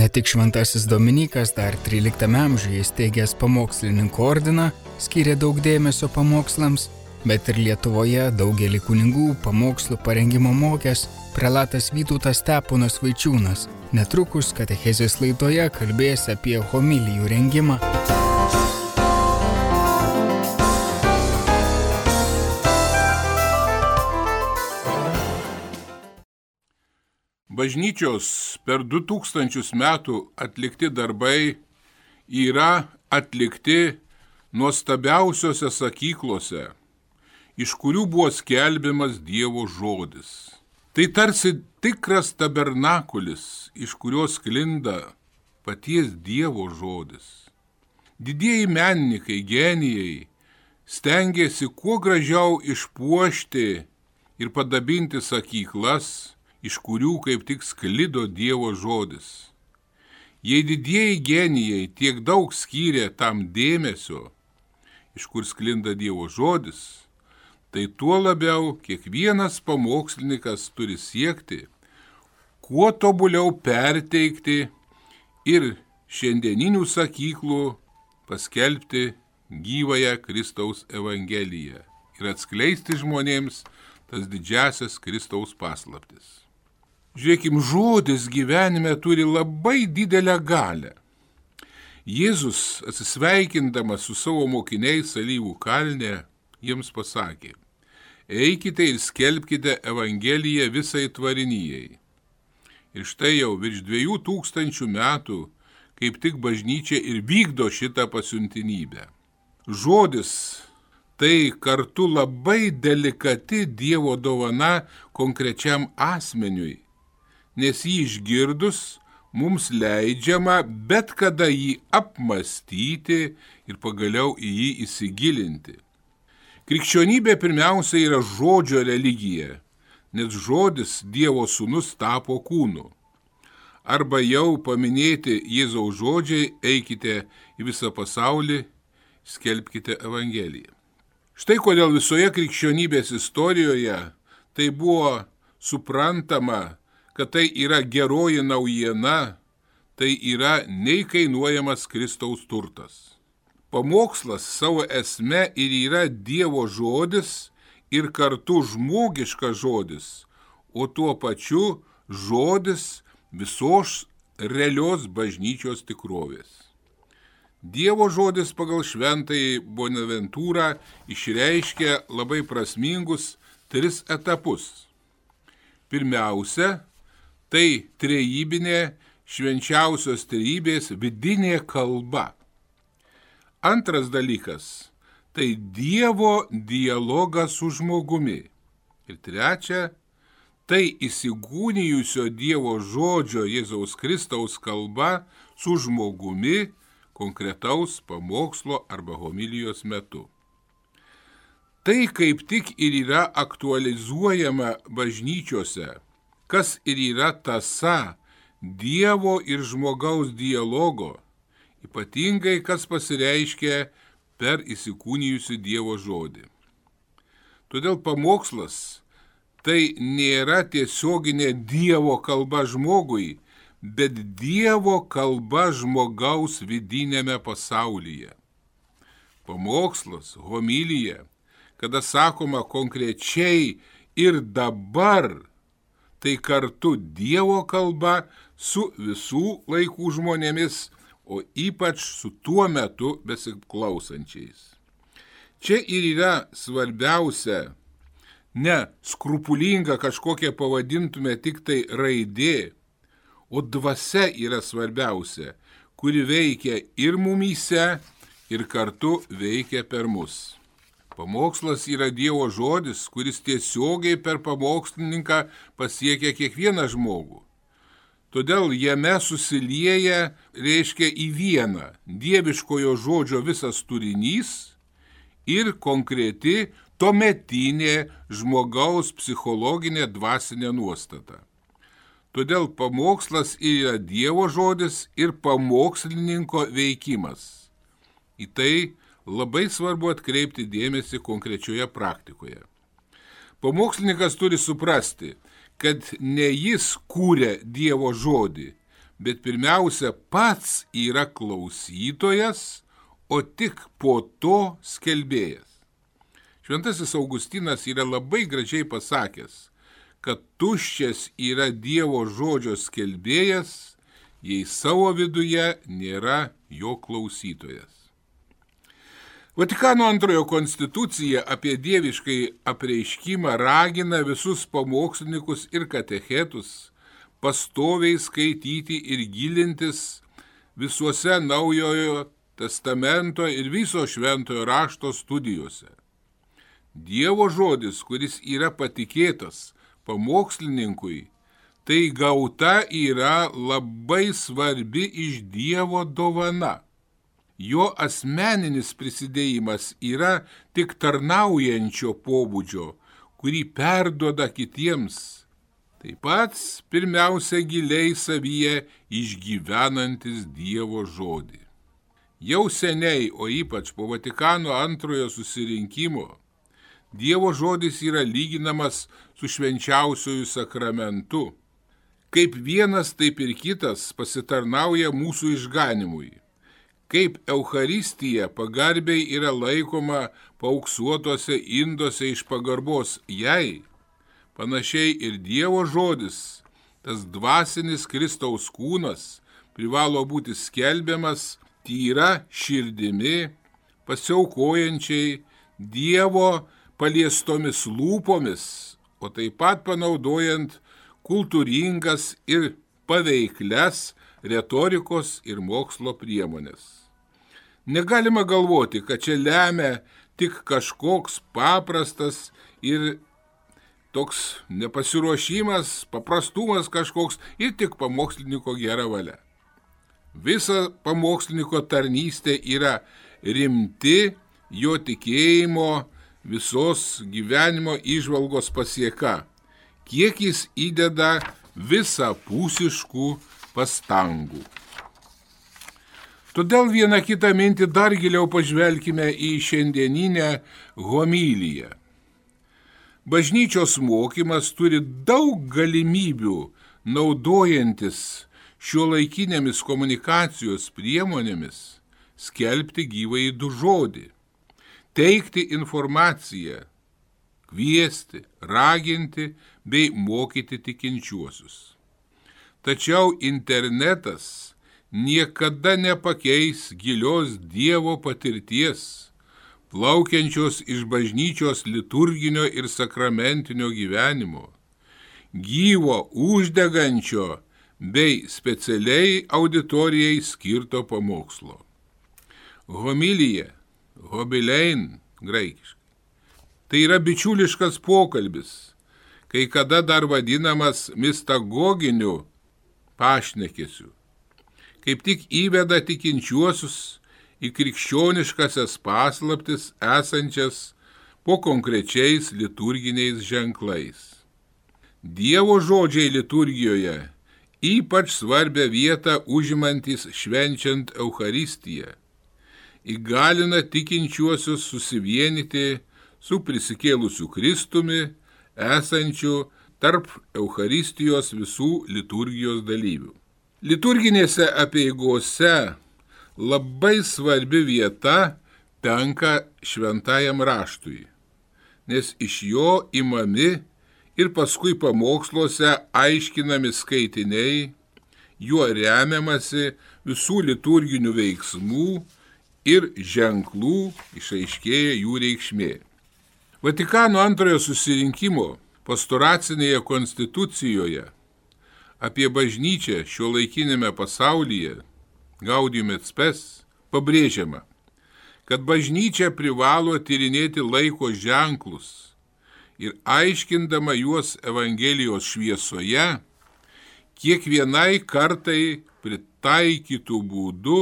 Ne tik šventasis Dominykas dar 13 amžiuje įsteigęs pamokslininkų ordiną skyrė daug dėmesio pamokslams, bet ir Lietuvoje daugelį kunigų pamokslų parengimo mokęs prelatas Vytautas Steponas Vaičiūnas. Netrukus katechezės laidoje kalbės apie homilijų rengimą. Bažnyčios per 2000 metų atlikti darbai yra atlikti nuostabiausiose sakyklose, iš kurių buvo skelbiamas Dievo žodis. Tai tarsi tikras tabernakulis, iš kurio sklinda paties Dievo žodis. Didieji menininkai, genijai stengėsi kuo gražiau išpuošti ir padabinti sakyklas, iš kurių kaip tik sklido Dievo žodis. Jei didieji genijai tiek daug skyrė tam dėmesio, iš kur sklinda Dievo žodis, tai tuo labiau kiekvienas pamokslininkas turi siekti, kuo tobuliau perteikti ir šiandieninių sakyklų paskelbti gyvąją Kristaus evangeliją ir atskleisti žmonėms tas didžiasias Kristaus paslaptis. Žiūrėkim, žodis gyvenime turi labai didelę galią. Jėzus, atsisveikindamas su savo mokiniais Alyvų kalne, jiems pasakė: eikite ir skelbkite evangeliją visai tvarinijai. Ir štai jau virš 2000 metų kaip tik bažnyčia ir vykdo šitą pasiuntinybę. Žodis tai kartu labai delikati Dievo dovana konkrečiam asmeniui, nes jį išgirdus mums leidžiama bet kada jį apmąstyti ir pagaliau į jį įsigilinti. Krikščionybė pirmiausia yra žodžio religija, nes žodis Dievo sūnus tapo kūnu. Arba jau paminėti Jėzaus žodžiai: eikite į visą pasaulį, skelbkite evangeliją. Štai kodėl visoje krikščionybės istorijoje tai buvo suprantama, kad tai yra geroji naujiena, tai yra neįkainuojamas Kristaus turtas. Pamokslas savo esme ir yra Dievo žodis ir kartu žmogiškas žodis, o tuo pačiu žodis visos realios bažnyčios tikrovės. Dievo žodis pagal šventąjį Bonaventūrą išreiškia labai prasmingus 3 etapus. Pirmiausia, tai trejybinė švenčiausios trejybės vidinė kalba. Antras dalykas, tai Dievo dialogas su žmogumi. Ir trečia, tai įsikūnijusio Dievo žodžio Jėzaus Kristaus kalba su žmogumi konkretaus pamokslo arba homilijos metu. Tai kaip tik ir yra aktualizuojama bažnyčiose, kas ir yra tąsa Dievo ir žmogaus dialogo, ypatingai kas pasireiškia per įsikūnijusių Dievo žodį. Todėl pamokslas tai nėra tiesioginė Dievo kalba žmogui, bet Dievo kalba žmogaus vidinėme pasaulyje. Pamokslas, homilija, kada sakoma konkrečiai ir dabar, tai kartu Dievo kalba su visų laikų žmonėmis, o ypač su tuo metu besiklausančiais. Čia ir yra svarbiausia, ne skrupulinga kažkokia pavadintume tik tai raidė, o dvasia yra svarbiausia, kuri veikia ir mumyse, ir kartu veikia per mus. Pamokslas yra Dievo žodis, kuris tiesiogiai per pamokslininką pasiekia kiekvieną žmogų. Todėl jame susilieja, reiškia į vieną dieviškojo žodžio visas turinys ir konkreti tuometinė žmogaus psichologinė dvasinė nuostata. Todėl pamokslas yra Dievo žodis ir pamokslininko veikimas. Į tai labai svarbu atkreipti dėmesį konkrečioje praktikoje. Pamokslininkas turi suprasti, kad ne jis kūrė Dievo žodį, bet pirmiausia pats yra klausytojas, o tik po to skelbėjas. Šventasis Augustinas yra labai gražiai pasakęs, kad tuščias yra Dievo žodžio skelbėjas, jei savo viduje nėra jo klausytojas. Vatikano II konstitucija apie dieviškai apreiškimą ragina visus pamokslininkus ir katechetus pastoviai skaityti ir gilintis visuose Naujojo testamento ir viso šventojo rašto studijose. Dievo žodis, kuris yra patikėtas pamokslininkui, tai gauta yra labai svarbi iš Dievo dovana. Jo asmeninis prisidėjimas yra tik tarnaujančio pobūdžio, kurį perduoda kitiems. Taip pat pirmiausia giliai savyje išgyvenantis Dievo žodį. Jau seniai, o ypač po Vatikano II susirinkimo, Dievo žodis yra lyginamas su švenčiausiuoju sakramentu. Kaip vienas, taip ir kitas pasitarnauja mūsų išganimui. Kaip Eucharistija pagarbiai yra laikoma paauksuotuose induose iš pagarbos jai, panašiai ir Dievo žodis, tas dvasinis Kristaus kūnas, privalo būti skelbiamas tyra širdimi, pasiaukojančiai Dievo paliestomis lūpomis, o taip pat panaudojant kultūringas ir paveiklias retorikos ir mokslo priemonės. Negalima galvoti, kad čia lemia tik kažkoks paprastas ir toks nepasiruošimas, paprastumas kažkoks ir tik pamokslininko gera valia. Visa pamokslininko tarnystė yra rimti jo tikėjimo visos gyvenimo įžvalgos pasieka, kiek jis įdeda visapusiškų pastangų. Todėl vieną kitą mintį dar giliau pažvelkime į šiandieninę homiliją. Bažnyčios mokymas turi daug galimybių naudojantis šiuolaikinėmis komunikacijos priemonėmis skelbti gyvąjį žodį, teikti informaciją, kviesti, raginti bei mokyti tikinčiuosius. Tačiau internetas niekada nepakeis gilios Dievo patirties, plaukiančios iš bažnyčios liturginio ir sakramentinio gyvenimo, gyvo, uždegančio bei specialiai auditorijai skirto pamokslo. Homilija, hobilein graikiškai, tai yra bičiuliškas pokalbis, kai kada dar vadinamas mistagoginiu pašnekesiu. Kaip tik įveda tikinčiuosius į krikščioniškasias paslaptis esančias po konkrečiais liturginiais ženklais. Dievo žodžiai liturgijoje ypač svarbią vietą užimantis švenčiant Eucharistiją, įgalina tikinčiuosius susivienyti su prisikėlusiu Kristumi, esančiu tarp Eucharistijos visų liturgijos dalyvių. Liturginėse apeigose labai svarbi vieta tenka šventajam raštui, nes iš jo imami ir paskui pamoksluose aiškinami skaitiniai, juo remiamasi visų liturginių veiksmų ir ženklų išaiškėja jų reikšmė. Vatikano II susirinkimo pastoracinėje konstitucijoje apie bažnyčią šiuolaikinėme pasaulyje, Gaudium et Spes, pabrėžiama, kad bažnyčia privalo tyrinėti laiko ženklus ir aiškindama juos Evangelijos šviesoje, kiekvienai kartai pritaikytų būdu,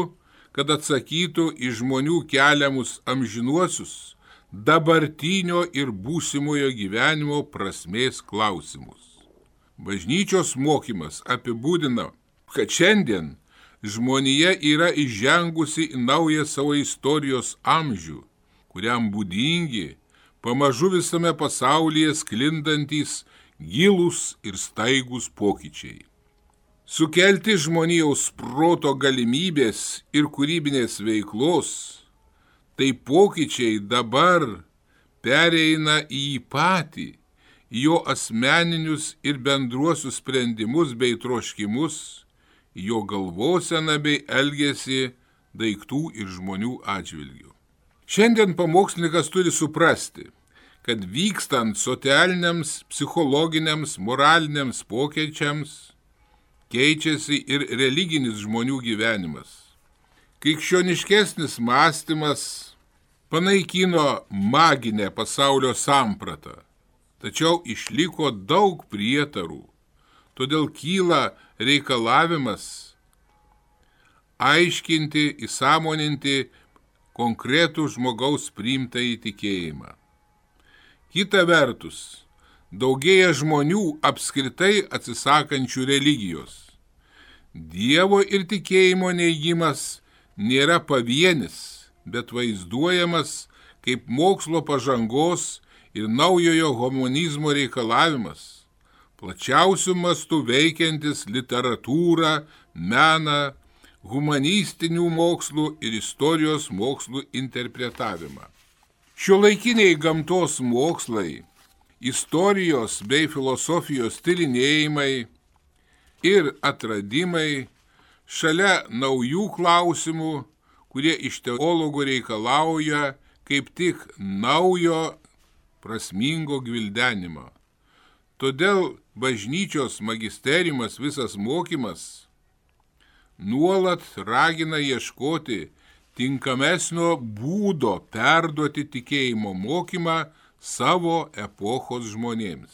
kad atsakytų į žmonių keliamus amžinuosius, dabartinio ir būsimojo gyvenimo prasmės klausimus. Bažnyčios mokymas apibūdina, kad šiandien žmonija yra įžengusi į naują savo istorijos amžių, kuriam būdingi pamažu visame pasaulyje sklindantys gilūs ir staigūs pokyčiai. sukelti žmonijos proto galimybės ir kūrybinės veiklos, tai pokyčiai dabar pereina į jį patį, jo asmeninius ir bendruosius sprendimus bei troškimus, jo galvoseną bei elgesį daiktų ir žmonių atžvilgių. Šiandien pamokslininkas turi suprasti, kad vykstant socialiniams, psichologiniams, moraliniams pokyčiams, keičiasi ir religinis žmonių gyvenimas. Krikščioniškesnis mąstymas panaikino maginę pasaulio sampratą, tačiau išliko daug prietarų, todėl kyla reikalavimas aiškinti, įsąmoninti konkretų žmogaus priimtą įtikėjimą. Kita vertus, daugėja žmonių apskritai atsisakančių religijos. Dievo ir tikėjimo neigimas nėra pavienis, bet vaizduojamas kaip mokslo pažangos ir naujojo humanizmo reikalavimas, plačiausių mastų veikiantis literatūrą, meną, humanistinių mokslų ir istorijos mokslų interpretavimą. Šiuolaikiniai gamtos mokslai, istorijos bei filosofijos tyrinėjimai ir atradimai šalia naujų klausimų, kurie iš teologų reikalauja kaip tik naujo prasmingo gvildenimo. Todėl bažnyčios magisteriumas, visas mokymas, nuolat ragina ieškoti tinkamesnio būdo perduoti tikėjimo mokymą savo epochos žmonėms.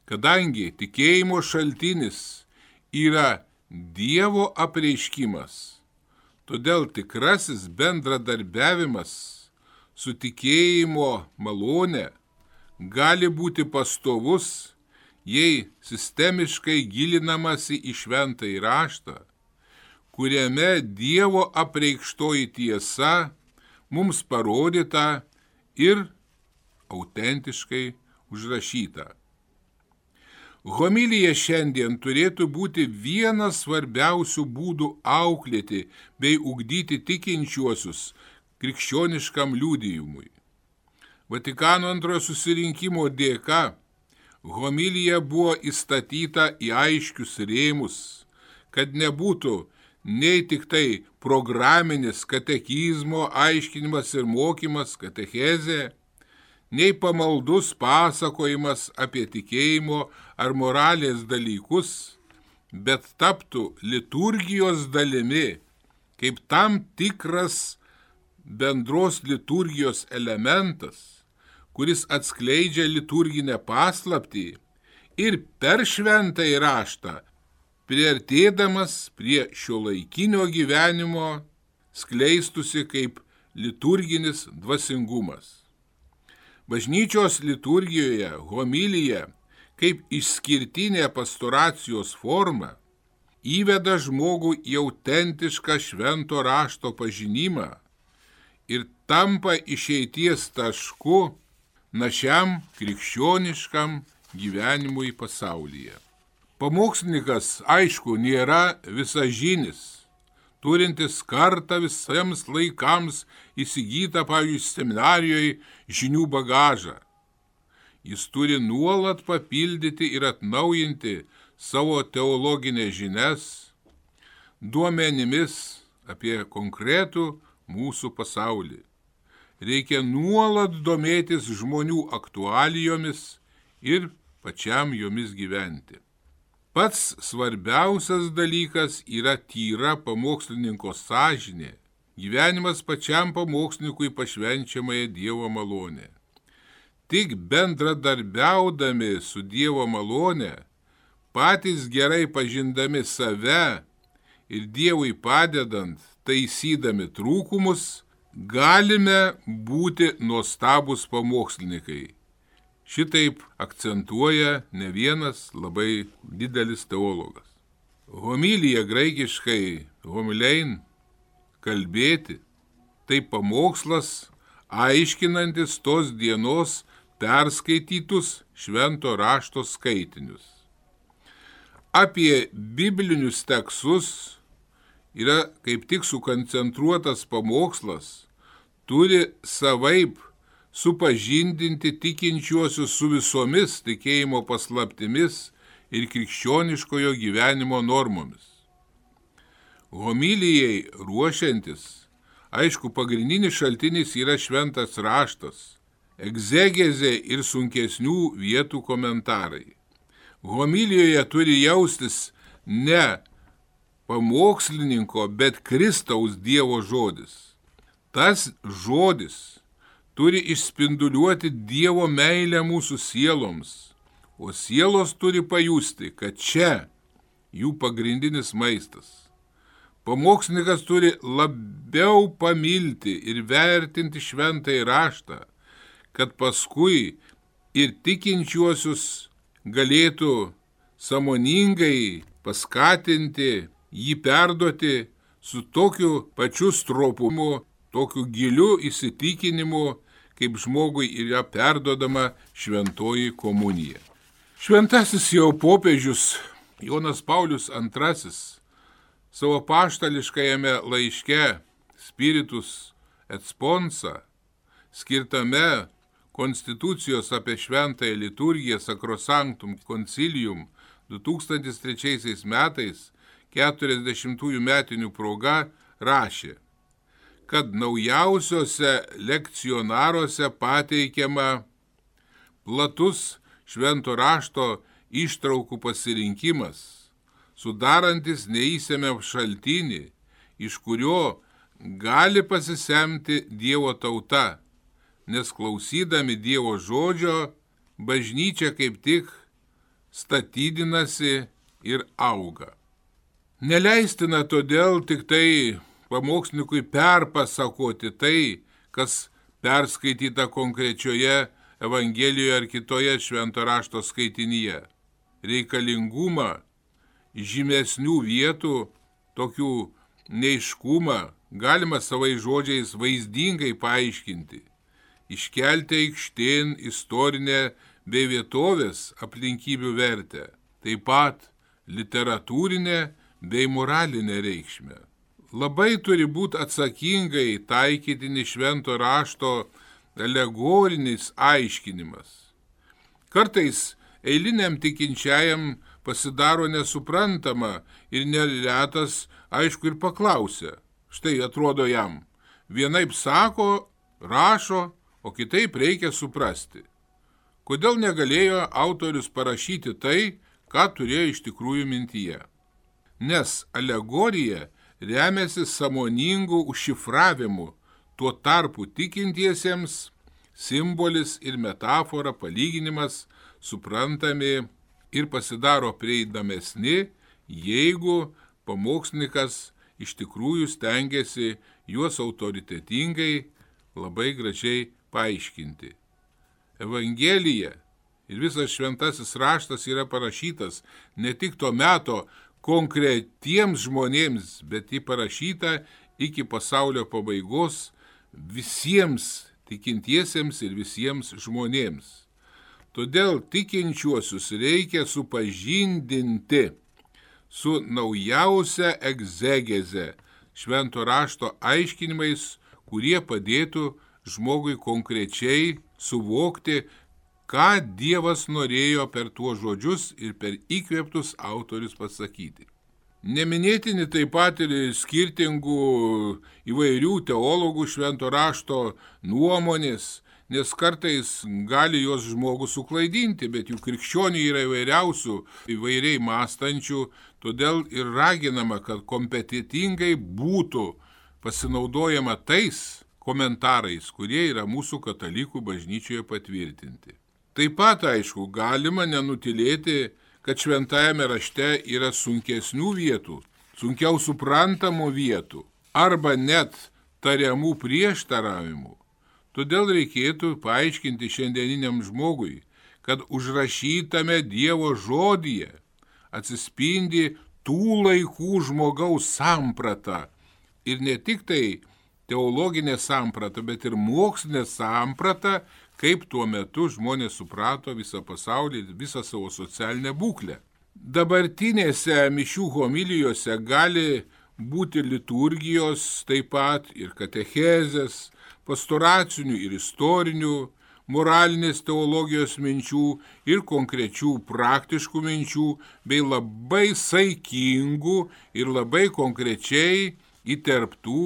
Kadangi tikėjimo šaltinis yra Dievo apreiškimas, todėl tikrasis bendradarbiavimas su tikėjimo malone gali būti pastovus, jei sistemiškai gilinamasi į šventąjį raštą, kuriame Dievo apreikštoji tiesa mums parodyta ir autentiškai užrašyta. Homilija šiandien turėtų būti vienas svarbiausių būdų auklėti bei ugdyti tikinčiuosius krikščioniškam liudijimui. Vatikano antrojo susirinkimo dėka homilija buvo įstatyta į aiškius rėmus, kad nebūtų nei tik tai programinis katekizmo aiškinimas ir mokymas, katechezė, nei pamaldus pasakojimas apie tikėjimo ar moralės dalykus, bet taptų liturgijos dalimi, kaip tam tikras bendros liturgijos elementas, kuris atskleidžia liturginę paslaptį ir per šventąjį raštą, priartėdamas prie šiuolaikinio gyvenimo, skleistusi kaip liturginis dvasingumas. Bažnyčios liturgijoje homilija kaip išskirtinė pastoracijos forma įveda žmogų į autentišką švento rašto pažinimą ir tampa išeities tašku našiam krikščioniškam gyvenimui pasaulyje. Pamokslininkas, aišku, nėra visažinis, turintis kartą visiems laikams įsigytą, pavyzdžiui, seminarijoje žinių bagažą. Jis turi nuolat papildyti ir atnaujinti savo teologinės žinias duomenimis apie konkretų mūsų pasaulį. Reikia nuolat domėtis žmonių aktualijomis ir pačiam jomis gyventi. Pats svarbiausias dalykas yra tyra pamokslininko sąžinė, gyvenimas pačiam pamokslininkui pašvenčiamąją Dievo malonę. Tik bendradarbiaudami su Dievo malone, patys gerai pažindami save ir Dievui padedant, taisydami trūkumus, galime būti nuostabūs pamokslininkai. Šitaip akcentuoja ne vienas labai didelis teologas. Homilija graikiškai homilein, kalbėti, tai pamokslas, aiškinantis tos dienos perskaitytus švento rašto skaitinius. apie biblinius tekstus yra kaip tik sukoncentruotas pamokslas, turi savaip supažindinti tikinčiuosius su visomis tikėjimo paslaptimis ir krikščioniškojo gyvenimo normomis. Homilijai ruošiantis, aišku, pagrindinis šaltinis yra šventas raštas, egzegezė ir sunkesnių vietų komentarai. Homilijoje turi jaustis ne pamokslininko, bet Kristaus Dievo žodis. Tas žodis turi išspinduliuoti Dievo meilę mūsų sieloms, o sielos turi pajusti, kad čia jų pagrindinis maistas. Pamokslininkas turi labiau pamilti ir vertinti šventąjį raštą, kad paskui ir tikinčiuosius galėtų sąmoningai paskatinti, jį perduoti su tokiu pačiu stropumu, tokiu giliu įsitikinimu, kaip žmogui yra perduodama šventoji komunija. Šventasis jau popiežius Jonas Paulius II savo apaštališkajame laiške Spiritus et Sponsa, skirtame konstitucijos apie šventąją liturgiją Sacrosanctum Concilium 2003 metais 40 metinių proga rašė, kad naujausiuose lekcionaruose pateikiama platus švento rašto ištraukų pasirinkimas, sudarantis neįsemią šaltinį, iš kurio gali pasisemti Dievo tauta, nes klausydami Dievo žodžio, bažnyčia kaip tik statydinasi ir auga. Neleistina todėl tik tai pamokslininkui perpasakoti tai, kas perskaityta konkrečioje Evangelijoje ar kitoje švento rašto skaitinyje. Reikalingumą žymesnių vietų, tokių neiškumą galima savais žodžiais vaizdingai paaiškinti, iškelti aikštėn istorinę bei vietovės aplinkybių vertę, taip pat literatūrinę bei moralinę reikšmę. Labai turi būti atsakingai taikytini švento rašto alegorinis aiškinimas. Kartais eiliniam tikinčiajam pasidaro nesuprantama ir neretas, aišku, ir paklausia. Štai atrodo jam, vienaip sako, rašo, o kitaip reikia suprasti. Kodėl negalėjo autorius parašyti tai, ką turėjo iš tikrųjų mintyje? Nes alegorija remiasi sąmoningų užšifravimu, tuo tarpu tikintiesiems simbolis ir metafora, palyginimas suprantami ir pasidaro prieinamesni, jeigu pamokslininkas iš tikrųjų stengiasi juos autoritetingai labai gražiai paaiškinti. Evangelija ir visas šventasis raštas yra parašytas ne tik to meto konkretiems žmonėms, bet jį parašyta iki pasaulio pabaigos visiems tikintiesiems ir visiems žmonėms. Todėl tikinčiuosius reikia supažindinti su naujausia egzegeze, švento rašto aiškinimais, kurie padėtų žmogui konkrečiai suvokti, ką Dievas norėjo per tuos žodžius ir per įkvėptus autorius pasakyti. Neminėtini taip pat ir skirtingų įvairių teologų švento rašto nuomonės, nes kartais gali jos žmogų suklaidinti, bet jų krikščionių yra įvairiausių, įvairiai mąstančių, todėl ir raginama, kad kompetitingai būtų pasinaudojama tais komentarais, kurie yra mūsų katalikų bažnyčioje patvirtinti. Taip pat, aišku, galima nenutilėti, kad šventajame rašte yra sunkesnių vietų, sunkiau suprantamų vietų arba net tariamų prieštaravimų. Todėl reikėtų paaiškinti šiandieniniam žmogui, kad užrašytame Dievo žodyje atsispindi tų laikų žmogaus samprata ir ne tik tai teologinė samprata, bet ir mokslinė samprata, kaip tuo metu žmonės suprato visą pasaulį, visą savo socialinę būklę. Dabartinėse mišių homilijose gali būti liturgijos, taip pat ir katechezės, pastoracinių ir istorinių, moralinės teologijos minčių ir konkrečių praktiškų minčių, bei labai saikingų ir labai konkrečiai įterptų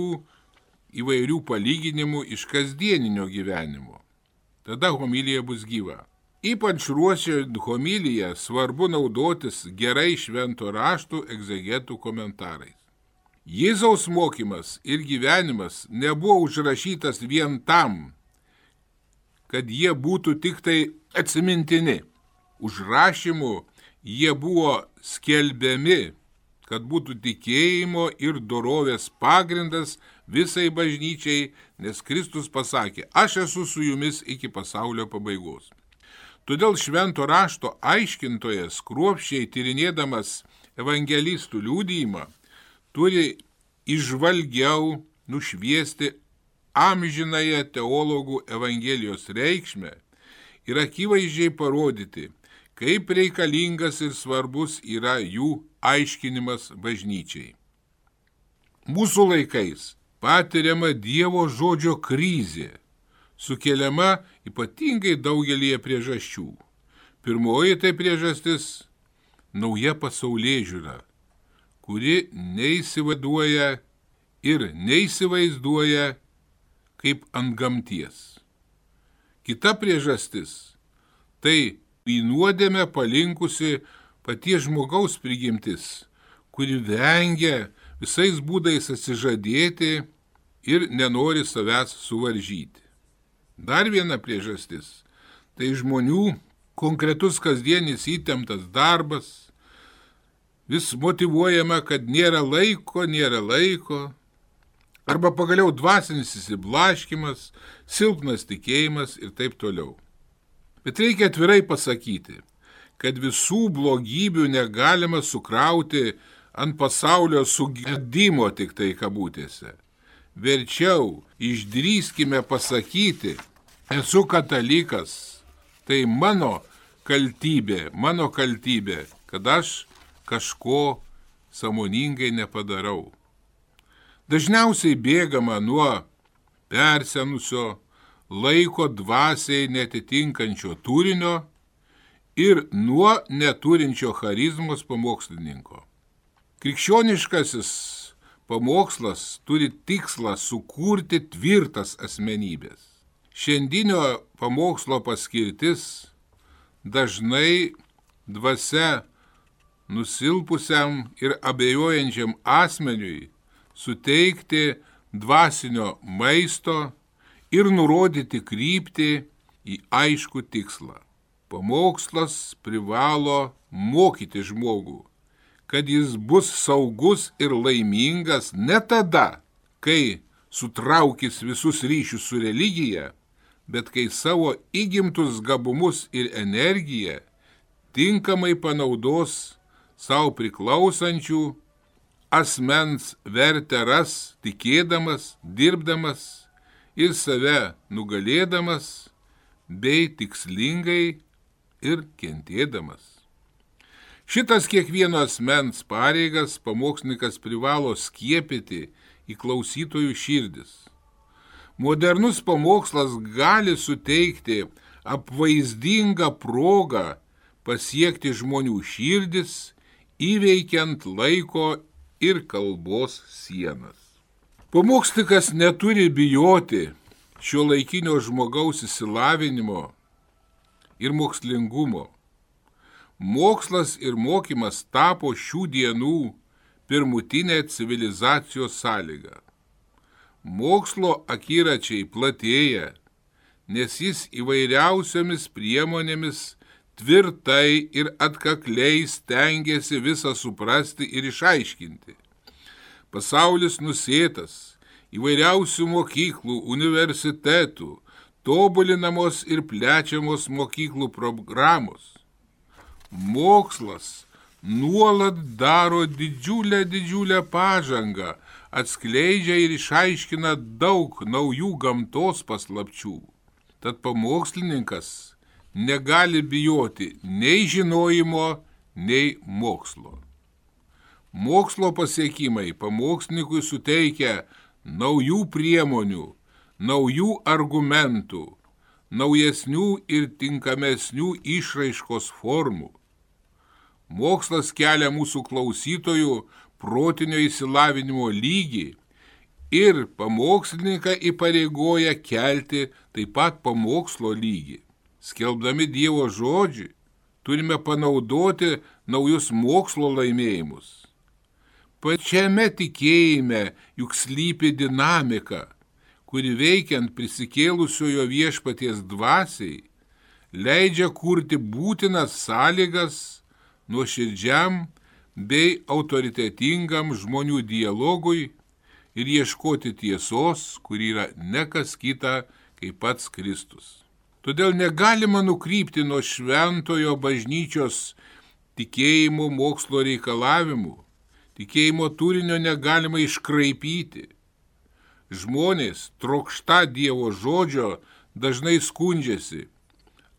įvairių palyginimų iš kasdieninio gyvenimo. Tada homilija bus gyva. Ypač ruošiant homiliją svarbu naudotis gerai švento rašto egzegetų komentarais. Jėzaus mokymas ir gyvenimas nebuvo užrašytas vien tam, kad jie būtų tik tai atsimintini. Užrašymu jie buvo skelbiami, kad būtų tikėjimo ir dorovės pagrindas visai bažnyčiai, nes Kristus pasakė, aš esu su jumis iki pasaulio pabaigos. Todėl švento rašto aiškintojas, kruopščiai tyrinėdamas evangelistų liudijimą, turi įžvalgiau nušviesti amžinąją teologų evangelijos reikšmę ir akivaizdžiai parodyti, kaip reikalingas ir svarbus yra jų aiškinimas bažnyčiai. Mūsų laikais patiriama Dievo žodžio krizė, sukeliama ypatingai daugelį priežasčių. Pirmoji tai priežastis – nauja pasaulėžiūra, kuri neįsivaizduoja ir neįsivaizduoja kaip antgamties. Kita priežastis – tai į nuodėmę palinkusi paties žmogaus prigimtis, kuri vengia visais būdais atsižadėti ir nenori savęs suvaržyti. Dar viena priežastis – tai žmonių konkretus kasdienis įtemptas darbas, vis motyvuojama, kad nėra laiko, arba pagaliau dvasinis įsiblaškymas, silpnas tikėjimas ir taip toliau. Bet reikia atvirai pasakyti, kad visų blogybių negalima sukrauti ant pasaulio sugedimo tik tai kabutėse. Verčiau išdrįskime pasakyti, esu katalikas, tai mano kaltybė, kad aš kažko sąmoningai nepadarau. Dažniausiai bėgama nuo persenusio, laiko dvasiai netitinkančio turinio ir nuo neturinčio charizmos pamokslininko. Krikščioniškasis pamokslas turi tikslą sukurti tvirtas asmenybės. Šiandienio pamokslo paskirtis dažnai dvasia nusilpusiam ir abejojančiam asmeniui suteikti dvasinio maisto ir nurodyti kryptį į aiškų tikslą. Pamokslas privalo mokyti žmogų, kad jis bus saugus ir laimingas ne tada, kai sutraukys visus ryšius su religija, bet kai savo įgimtus gabumus ir energiją tinkamai panaudos savo priklausančių asmens vertę ras, tikėdamas, dirbdamas ir save nugalėdamas, bei tikslingai ir kentėdamas. Šitas kiekvieno asmens pareigas pamokslininkas privalo skiepyti į klausytojų širdis. Modernus pamokslas gali suteikti apvaizdingą progą pasiekti žmonių širdis, įveikiant laiko ir kalbos sienas. Pamokslininkas neturi bijoti šiuolaikinio žmogaus išsilavinimo ir mokslingumo. Mokslas ir mokymas tapo šių dienų pirmutinė civilizacijos sąlyga. Mokslo akiračiai platėja, nes jis įvairiausiomis priemonėmis tvirtai ir atkakliai stengiasi visą suprasti ir išaiškinti. Pasaulis nusėtas įvairiausių mokyklų, universitetų, tobulinamos ir plečiamos mokyklų programos. Mokslas nuolat daro didžiulę pažangą, atskleidžia ir išaiškina daug naujų gamtos paslapčių. Tad pamokslininkas negali bijoti nei žinojimo, nei mokslo. Mokslo pasiekimai pamokslinikui suteikia naujų priemonių, naujų argumentų, naujesnių ir tinkamesnių išraiškos formų. Mokslas kelia mūsų klausytojų protinio išsilavinimo lygį ir pamokslininką įpareigoja kelti taip pat pamokslo lygį. Skelbdami Dievo žodžių, turime panaudoti naujus mokslo laimėjimus. Pačiame tikėjime juk slypi dinamika, kuri veikiant prisikėlusiojo viešpaties dvasiai, leidžia kurti būtinas sąlygas nuoširdžiam bei autoritetingam žmonių dialogui ir ieškoti tiesos, kuri yra ne kas kita kaip pats Kristus. Todėl negalima nukrypti nuo šventojo bažnyčios tikėjimo mokslo reikalavimų, tikėjimo turinio negalima iškraipyti. Žmonės trokšta Dievo žodžio dažnai skundžiasi.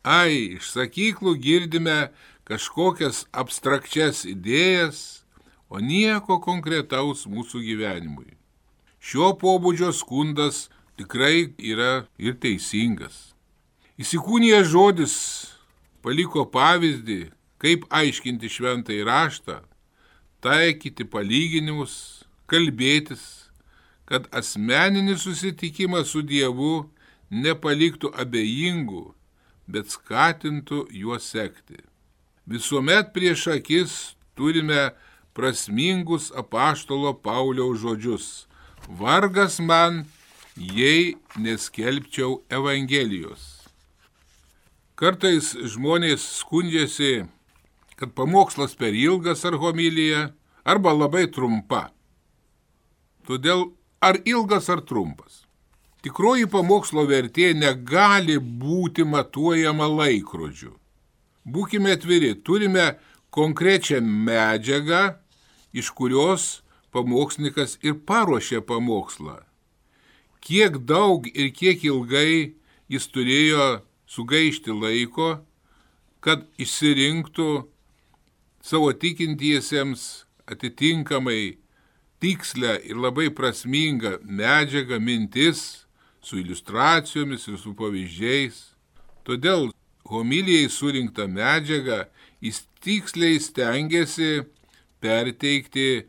Iš sakyklų girdime kažkokias abstrakčias idėjas, o nieko konkretaus mūsų gyvenimui. Šio pobūdžio skundas tikrai yra ir teisingas. Įsikūnijęs žodis paliko pavyzdį, kaip aiškinti šventąjį raštą, taikyti palyginimus, kalbėtis, kad asmeninis susitikimas su Dievu nepaliktų abejingų, bet skatintų juos sekti. Visuomet prieš akis turime prasmingus apaštalo Pauliaus žodžius. Vargas man, jei neskelbčiau Evangelijos. Kartais žmonės skundžiasi, kad pamokslas per ilgas ar homilija, arba labai trumpa. Todėl ar ilgas ar trumpas. Tikroji pamokslo vertė negali būti matuojama laikrodžiu. Būkime atviri, turime konkrečią medžiagą, iš kurios pamokslininkas ir paruošė pamokslą. Kiek daug ir kiek ilgai jis turėjo sugaišti laiko, kad išsirinktų savo tikintiesiems atitinkamai tikslę ir labai prasmingą medžiagą, mintis su iliustracijomis ir su pavyzdžiais. Todėl homilijai surinktą medžiagą jis tiksliai stengiasi perteikti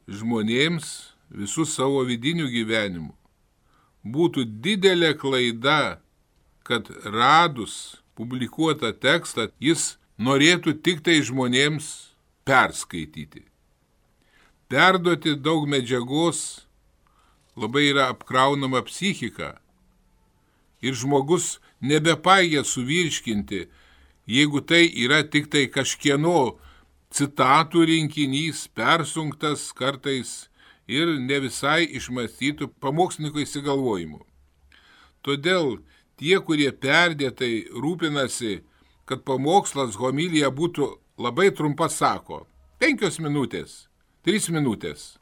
žmonėms visų savo vidinių gyvenimų. Būtų didelė klaida, kad radus publikuotą tekstą jis norėtų tik tai žmonėms perskaityti. Perduoti daug medžiagos labai yra apkraunama psichika ir žmogus nebepajėgia suvirškinti, jeigu tai yra tik tai kažkieno citatų rinkinys, persunktas kartais ir ne visai išmąstytų pamokslininko išsigalvojimų. Todėl tie, kurie perdėtai rūpinasi, kad pamokslas homilija būtų labai trumpa, sako 5 minutės, 3 minutės.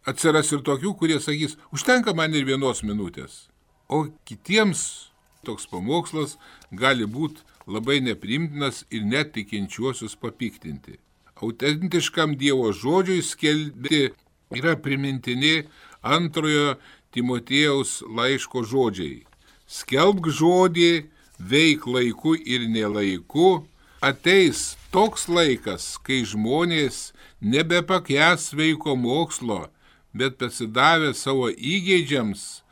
Atsiras ir tokių, kurie sakys, užtenka man ir 1 minutės. O kitiems toks pamokslas gali būti labai neprimtinas ir net tikinčiuosius papiktinti. Autentiškam Dievo žodžiui skelbti yra primintini 2 Timotiejaus laiško žodžiai. Skelbk žodį, veik laiku ir nelaiku, ateis toks laikas, kai žmonės nebepakęs sveiko mokslo, bet pasidavę savo įgeidžiams,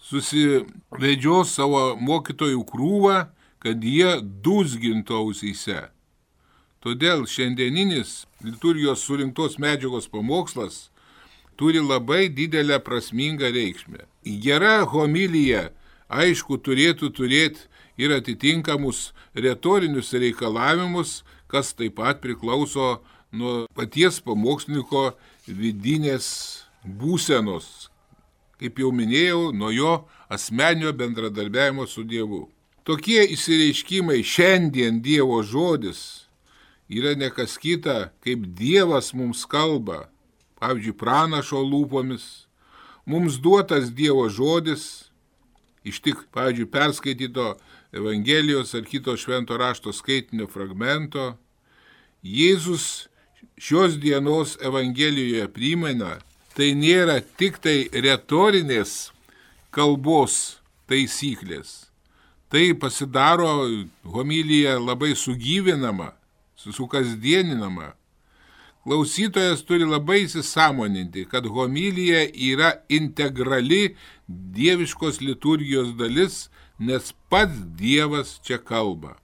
susivedžios savo mokytojų krūvą, kad jie dūzgintų ausyse. Todėl šiandieninis liturgijos surinktos medžiagos pamokslas turi labai didelę prasmingą reikšmę. Gera homilija, aišku, turėtų turėti ir atitinkamus retorinius reikalavimus, kas taip pat priklauso nuo paties pamokslininko vidinės būsenos. Kaip jau minėjau, nuo jo asmeninio bendradarbiavimo su Dievu. Tokie išsireiškimai šiandien Dievo žodis yra nekas kita, kaip Dievas mums kalba, pavyzdžiui, pranašo lūpomis, mums duotas Dievo žodis, iš tik, pavyzdžiui, perskaityto Evangelijos ar kito švento rašto skaitinio fragmento, Jėzus šios dienos Evangelijoje primena, tai nėra tik tai retorinės kalbos taisyklės. Tai pasidaro homilija labai sugyvinama, sukasdieninama. Klausytojas turi labai įsisąmoninti, kad homilija yra integrali dieviškos liturgijos dalis, nes pats Dievas čia kalba.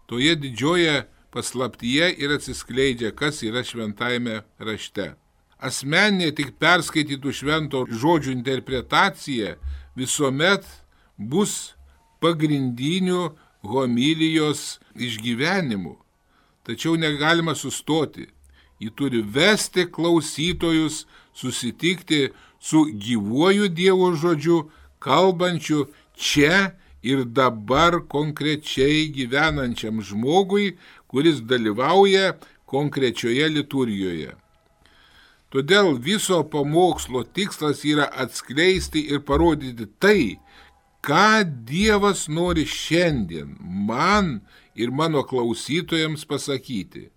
Toje didžioje paslaptyje ir atsiskleidžia, kas yra šventajame rašte. Asmeninė tik perskaitytų švento žodžių interpretacija visuomet bus pagrindiniu homilijos išgyvenimu. Tačiau negalima sustoti. Ji turi vesti klausytojus susitikti su gyvuoju Dievo žodžiu, kalbančiu čia ir dabar konkrečiai gyvenančiam žmogui, kuris dalyvauja konkrečioje liturgijoje. Todėl viso pamokslo tikslas yra atskleisti ir parodyti tai, ką Dievas nori šiandien man ir mano klausytojams pasakyti.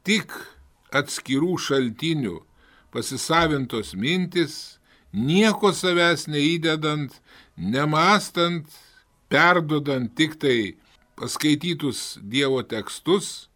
Tik atskirų šaltinių pasisavintos mintis, nieko savęs neįdedant, nemastant, perdodant tik tai paskaitytus Dievo tekstus,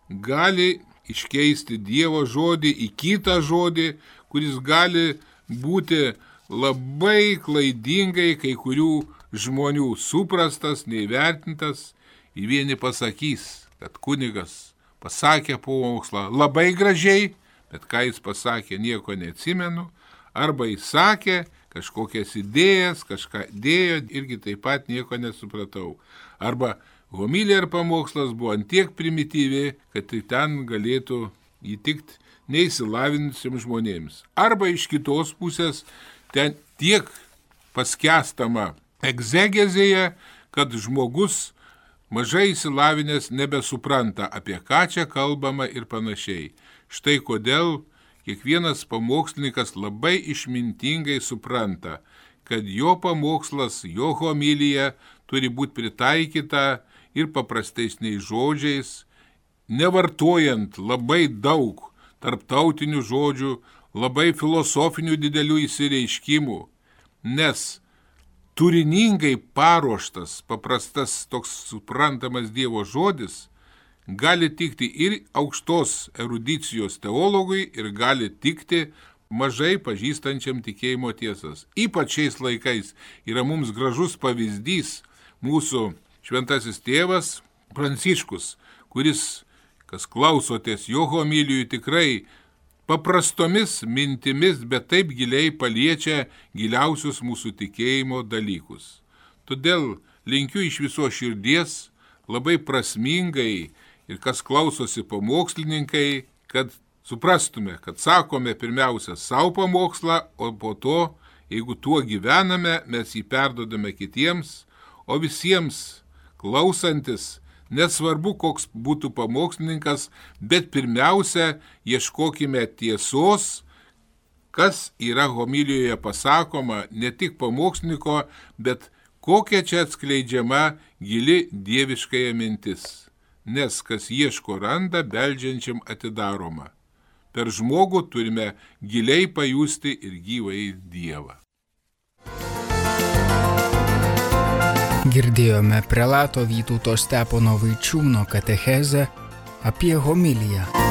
gali iškeisti Dievo žodį į kitą žodį, kuris gali būti labai klaidingai kai kurių žmonių suprastas, neįvertintas. Ir vieni pasakys, kad kunigas pasakė pamokslą labai gražiai, bet ką jis pasakė, nieko neatsimenu, arba jis sakė kažkokias idėjas, kažką dėjo, irgi taip pat nieko nesupratau. Arba homilija ir pamokslas buvo antiek primityvi, kad tai ten galėtų įtikti neįsilavinusiems žmonėms. Arba iš kitos pusės ten tiek paskęstama egzegezėje, kad žmogus mažai įsilavinęs nebesupranta, apie ką čia kalbama ir panašiai. Štai kodėl kiekvienas pamokslininkas labai išmintingai supranta, kad jo pamokslas, jo homilija turi būti pritaikyta ir paprastesniais žodžiais, nevartojant labai daug tarptautinių žodžių, labai filosofinių didelių įsireiškimų, nes turiningai paruoštas, paprastas toks suprantamas Dievo žodis gali tikti ir aukštos erudicijos teologui ir gali tikti mažai pažįstančiam tikėjimo tiesas. Ypač šiais laikais yra mums gražus pavyzdys mūsų šventasis tėvas Pranciškus, kuris, kas klausotės jo homilijų, tikrai paprastomis mintimis, bet taip giliai paliečia giliausius mūsų tikėjimo dalykus. Todėl linkiu iš viso širdies labai prasmingai ir kas klausosi pamokslininkai, kad suprastume, kad sakome pirmiausia savo pamokslą, o po to, jeigu tuo gyvename, mes jį perdodame kitiems, o visiems klausantis, nesvarbu, koks būtų pamokslininkas, bet pirmiausia, ieškokime tiesos, kas yra homilijoje pasakoma, ne tik pamokslininko, bet kokia čia atskleidžiama gili dieviškąja mintis. Nes kas ieško randa, beldžiančiam atidaroma. Per žmogų turime giliai pajusti ir gyvąjį Dievą. Girdėjome prelato Vytauto Stepono Vaičiūno katechezę apie homiliją.